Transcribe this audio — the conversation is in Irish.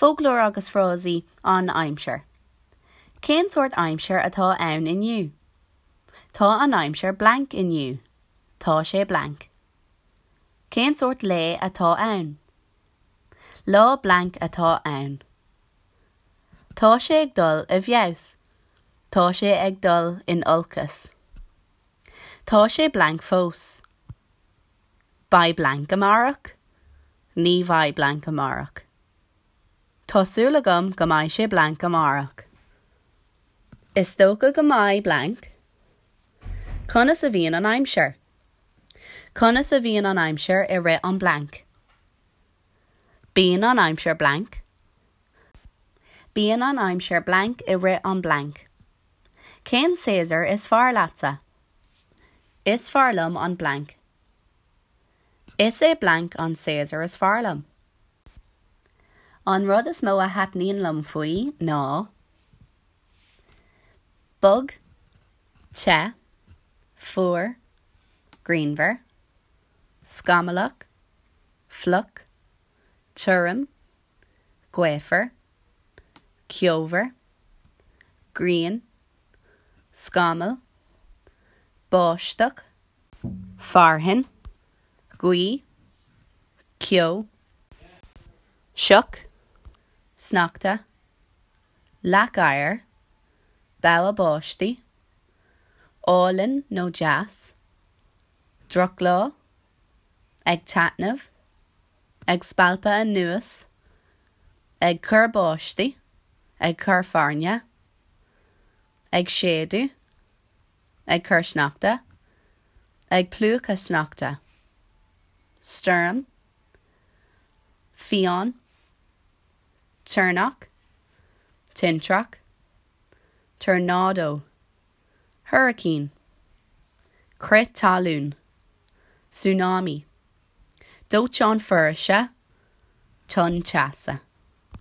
Foclóir agus frásaí An aimsir. Cén sórt aimsir atá ann inniu? Tá an aimsir blank inniu. Tá sé blank. Cén sórt lae atá ann? Lá blank atá ann. Tá sé ag dul i bhfeabhas. Tá sé ag dul in olcas. Tá sé blank fós. Beidh blank amárach? Ní bheidh blank amárach. Tá súil agam go mbeidh sé blank amárach. Is dócha go mbeidh blank. Conas a bhíonn an aimsir? Conas a bhíonn an aimsir i rith an blank? Bíonn an aimsir blank. Bíonn an aimsir blank i rith an blank. Cén séasúr is fearr leatsa? Is fearr liom an blank. Is é blank an séasúr is fearr liom. An rud is mó a thaitníonn liom faoi ná bog, te, fuar, grianmhar, scamallach, fliuch, tirim, gaofar, ceomhar, grian, scamall, báisteach, fearthainn, gaoth, ceo, sioc, sneachta, leac oighir, bogha báistí, álainn nó deas, drochlá, ag taitneamh, ag spalpadh anuas, ag cur báistí, ag cur fearthainne, ag séideadh, ag cur sneachta, ag plúchadh sneachta, stoirm, fiáin, toirneach, tintreach, tornádó, hurricane, crith talún, tsunami, dóiteán foraoise, tonn teasa.